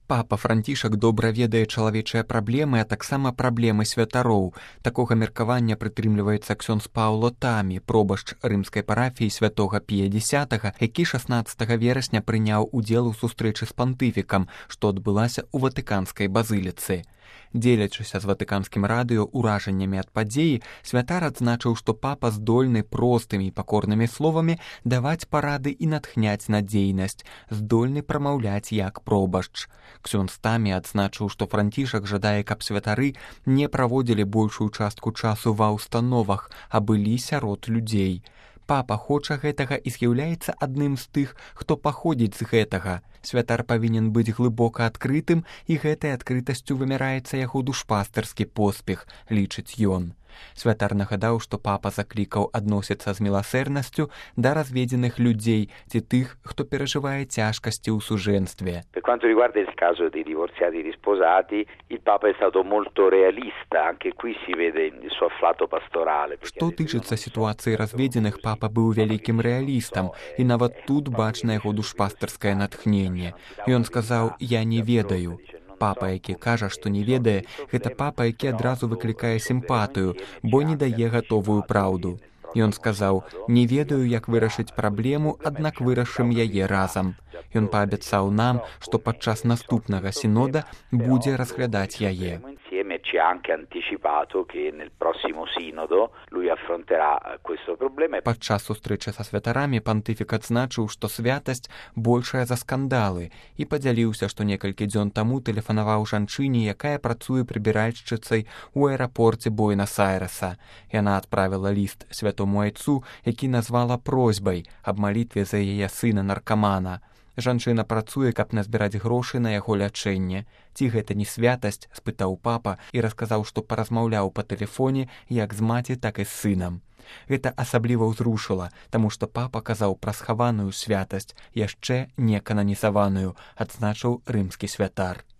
Папа Францішак добра ведае чалавечыя праблемы, а таксама праблемы святароў. Такога меркавання прытрымліваецца ксёндз Паўло Тамі, пробашч рымскай парафіі святога Пія X, які 16 верасня прыняў удзел у сустрэчы з пантыфікам, што адбылася ў Ватыканскай базыліцы. Дзелячыся з ватыканскім радыё ўражаннямі ад падзеі, святар адзначыў, што папа здольны простымі і пакорнымі словамі даваць парады і натхняць на дзейнасць, здольны прамаўляць як пробашч. Ксёндз Тамі адзначыў, што Францішак жадае, каб святары не праводзілі большую частку часу ва ўстановах, а былі сярод людзей. Папа хоча гэтага і з'яўляецца адным з тых, хто паходзіць з гэтага. Святар павінен быць глыбока адкрытым, і гэтай адкрытасцю вымяраецца яго душпастарскі поспех, лічыць ён. Святар нагадаў, што папа заклікаў адносіцца з міласэрнасцю да разведзеных людзей ці тых, хто перажывае цяжкасці ў сужэнстве. Per quanto riguarda il caso dei divorziati risposati, il Papa è stato molto realista, anche qui si vede il suo afflato pastorale. Што тычыцца сітуацыі разведзеных, папа быў вялікім рэалістам, і нават тут бачна яго душпастарскае натхненне. Ён сказаў: «Я не ведаю». Папа, які кажа, што не ведае, гэта папа, які адразу выклікае сімпатыю, бо не дае гатовую праўду. Ён сказаў: «Не ведаю, як вырашыць праблему, аднак вырашым яе разам». Ён паабяцаў нам, што падчас наступнага сінода будзе разглядаць яе. Ci ha anche anticipato che nel prossimo sinodo lui affronterà questo problema. Падчас сустрэчы са святарамі пантыфік адзначыў, што святасць большая за скандалы, і падзяліўся, што некалькі дзён таму тэлефанаваў жанчыне, якая працуе прыбіральшчыцай у аэрапорце Буэнас-Айрэса. Яна адправіла ліст святому айцу, які назвала просьбай аб малітве за яе сына-наркамана. Жанчына працуе, каб назбіраць грошы на яго лячэнне. Ці гэта не святасць, спытаў папа і расказаў, што паразмаўляў па тэлефоне як з маці, так і з сынам. Гэта асабліва ўзрушыла, таму што папа казаў пра схаваную святасць, яшчэ не кананізаваную, адзначыў рымскі святар.